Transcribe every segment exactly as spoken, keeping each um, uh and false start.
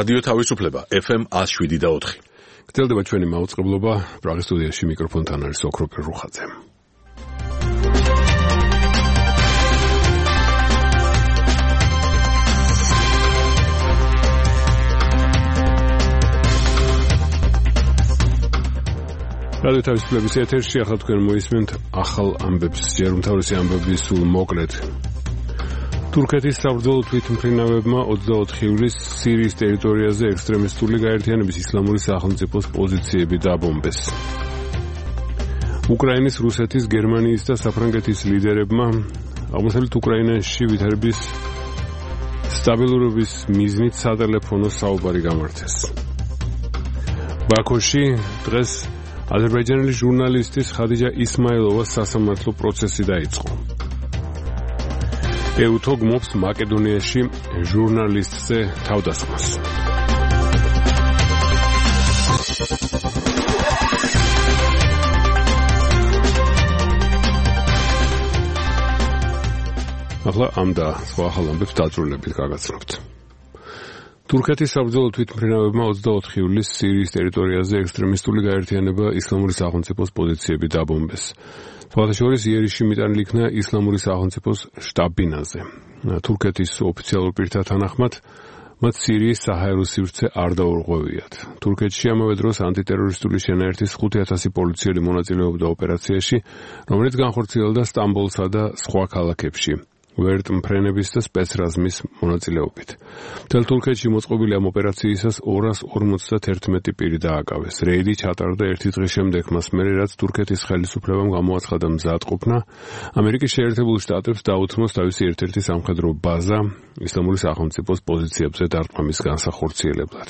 რადიო თავისუფლება ეფ ემ one oh seven point four. გრძელდება ჩვენი მაუწყებლობა, პრაღის სტუდიაში მიკროფონთან არის ოქროპირ რუხაძე. რადიო თავისუფლების ეთერში ახლა თქვენ მოისმენთ ახალ ამბებს, ჯერ უმთავრესი ამბები სულ მოკლედ. თურქეთის საბრძოლო თვითმფრინავებმა ოცდაოთხი ივლისს სირიის ტერიტორიაზე ექსტრემისტული გაერთიანების ისლამური სახელმწიფოს პოზიციები დაბომბეს. უკრაინის, რუსეთის, გერმანიის და საფრანგეთის ლიდერებმა აღმოსავლეთ უკრაინაში ვითარების სტაბილურობის მიზნით სატელეფონო საუბარი გამართეს. ბაქოში დღეს აზერბაიჯანელი ჟურნალისტის ხადიჯა ისმაილოვას სასამართლო პროცესი დაიწყო. ეუთო გმობს მაკედონიაში ჟურნალისტზე თავდასხმას. ახლა ამ და სხვა ახალ ამბებს დაწვრილებით გაგაცნობთ. თურქეთის საბრძოლო თვითმფრინავებმა ოცდაოთხი ივლისს სირიის ტერიტორიაზე ექსტრემისტული გაერთიანება ისლამური სახელმწიფოს პოზიციები დაბომბეს. სხვათა შორის იერიში მიტანილი იქნა ისლამური სახელმწიფოს შტაბ-ბინაზე. თურქეთის ოფიციალურ პირთა თანახმად, მათ სირიის საჰაერო სივრცე არ დაურღვევიათ. თურქეთში ამავე დროს ანტიტერორისტული შენაერთის ხუთი ათასი პოლიციელი მონაწილეობდა ოპერაციაში, რომელიც განხორციელდა სტამბოლსა და სხვა ქალაქებში. ვერტმფრენების და სპეცრაზმის მონაწილეობით. მთელ თურქეთში მოწყობილი ამ ოპერაციისას ორას ორმოცდაერთმეტი პირი დააკავეს. რეიდი ჩატარდა ერთი დღის შემდეგ, მას მერე რაც თურქეთის ხელისუფლებამ გამოაცხადა მზადყოფნა ამერიკის შეერთებულ შტატებს დაუთმოს თავისი ერთ-ერთი სამხედრო ბაზა ისლამური სახელმწიფოს პოზიციებზე დარტყმის განსახორციელებლად.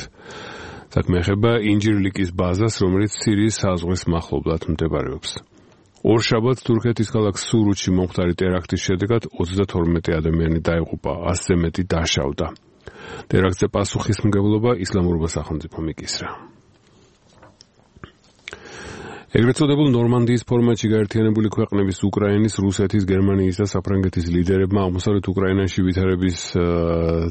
საქმე ეხება ინჯირლიკის ბაზას, რომელიც სირიის საზღვრის მახლობლად მდებარეობს. ორ შაბათს თურქეთის ქალაქ სურუთში მომხდარი ტერაქტის შედეგად ოცდათორმეტი ადამიანი დაიღუპა, ასზე მეტი დაშავდა. ტერაქტზე პასუხისმგებლობა ისლამურმა სახელმწიფომ იკისრა. ეგრეთ წოდებულ ნორმანდიის ფორმატში გაერთიანებული ქვეყნების უკრაინის, რუსეთის, გერმანიის და საფრანგეთის ლიდერებმა აღმოსავლეთ უკრაინაში ვითარების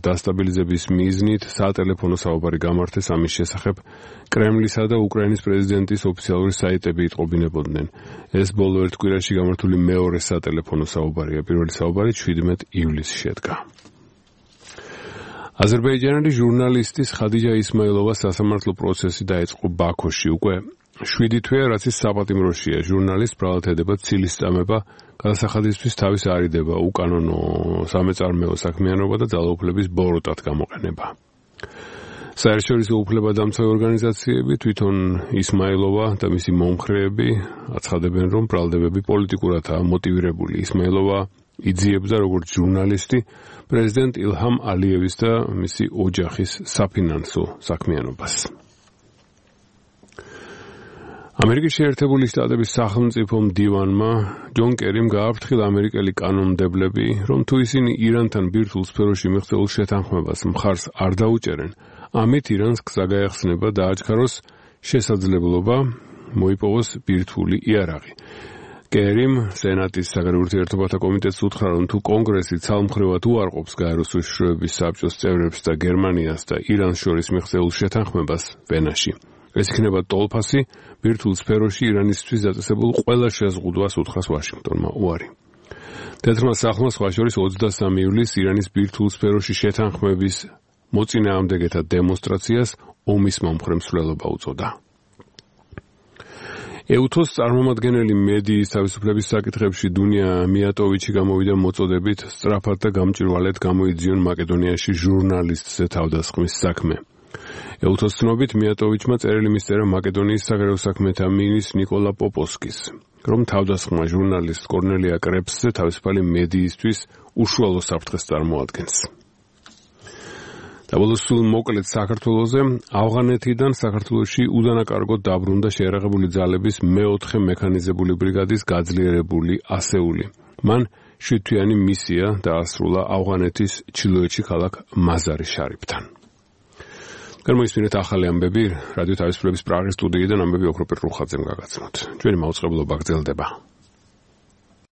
დასტაბილიზების მიზნით სატელეფონო საუბარი გამართეს. ამის შესახებ კრემლისა და უკრაინის პრეზიდენტის ოფიციალური საიტები იტყობინებოდნენ. ეს ბოლო ერთ კვირაში გამართული მეორე სატელეფონო საუბარია. პირველი საუბარი შვიდმეტი ივლისს შედგა. აზერბაიჯანელი ჟურნალისტის ხადიჯა ისმაილოვას სასამართლო პროცესი დაიწყო ბაქოში. უკვე შვიდი თვეა, რაც ის საპატიმროშია. ჟურნალისტს ბრალად ედება ცილის წამება, გადასახადისთვის თავის არიდება, უკანონო სამეწარმეო საქმიანობა და ძალაუფლების ბოროტად გამოყენება. საერთაშორისო უფლებადამცავი ორგანიზაციები, თვითონ ისმაილოვა და მისი მომხრეები აცხადებენ, რომ ბრალდებები პოლიტიკურადაა მოტივირებული. ისმაილოვა იძიებდა როგორც ჟურნალისტი პრეზიდენტ ილჰამ ალიევის და მისი ოჯახის საფინანსო საქმიანობას. ამერიკის შეერთებული შტატების სახელმწიფო მდივანმა ჯონ კერიმ გააფრთხილა ამერიკელი კანონმდებლები, რომ თუ ისინი ირანთან ბირთვულ სფეროში მიღწეულ შეთანხმებას მხარს არ დაუჭერენ, ამით ირანს გზა გაეხსნება დააჩქაროს შესაძლებლობა მოიპოვოს ბირთვული იარაღი. კერიმ სენატის საგარეო ურთიერთობათა კომიტეტს უთხრა, რომ თუ კონგრესი ცალმხრივად უარყოფს გაეროს უშიშროების საბჭოს წევრებს და გერმანიას და ირანს შორის მიღწეულ შეთანხმებას ვენაში, ეს იქნება ტოლფასი ბირთვულ სფეროში ირანისთვის დაწესებულ ყველა შეზღუდვას, უთხრას ვაშინგტონმა უარი. თეთრმა სახლმა სხვა შორის ოცდასამი ივლისს ირანის ბირთვულ სფეროში შეთანხმების მოწინააღმდეგეთა დემონსტრაციას ომის მომხრე მსვლელობა უწოდა. ეუთოს წარმომადგენელი მედიის თავისუფლების საკითხებში დუნია მიატოვიჩი გამოვიდა მოწოდებით სწრაფად და გამჭვირვალედ გამოიძიონ მაკედონიაში ჟურნალისტზე თავდასხმის საქმე. ეუთოს ცნობით მიატოვიჩმა წერილი მისწერა მაკედონიის საგარეო საქმეთა მინისტრ ნიკოლა პოპოსკის, რომ თავდასხმა ჟურნალისტ კორნელია კრეფსზე თავისუფალი მედიისთვის უშუალო საფრთხეს წარმოადგენს. დაბოლოს სულ მოკლედ საქართველოზე, ავღანეთიდან საქართველოში უდანაკარგოდ დაბრუნდა შეიარაღებული ძალების მეოთხე მექანიზებული ბრიგადის გაძლიერებული ასეული. მან შვიდთვიანი მისია დაასრულა ავღანეთის ჩრდილოეთში ქალაქ მაზარი შარიფთან. გამოისმინეთ ახალი ამბები რადიო თავისუფლების პრაღის სტუდიიდან, ამბები ოქროპირ რუხაძემ გაგაცნოთ. ჩვენი მაუწყებლობა გრძელდება.